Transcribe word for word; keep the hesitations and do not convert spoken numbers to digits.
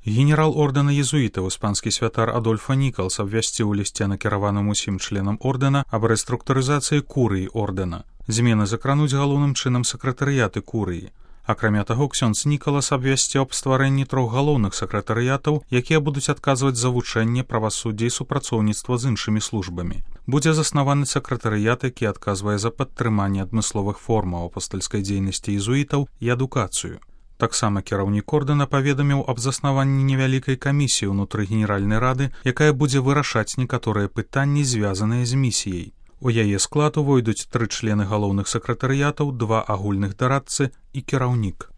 Генерал ордэна езуітаў, іспанскі святар Адольфа Нікалс, абвясціў у лісце, накіраваным усім членам ордэна, аб рэструктурызацыі курыі ордэна. Змены закрануць галоўным чынам сакратарыяты курыі. Акрамя таго, ксёндз Нікалас абвясціў аб стварэнні трох галоўных сакратарыятаў, якія будуць адказваць за вучэнне, правасуддзе і супрацоўніцтва з іншымі службамі. Будзе заснаваны сакратарыят, які адказвае за падтрыманне адмысловых формаў апостальскай дзейнасці езуітаў і адукацыю. Таксама кіраўнік ордэна паведаміў аб заснаванні невялікай камісіі ўнутры генеральнай рады, якая будзе вырашаць некаторыя пытанні, звязаныя з місіяй. У яе склад увойдуць тры члены галоўных сакратарыятаў, два агульных дарадцы і кіраўнік.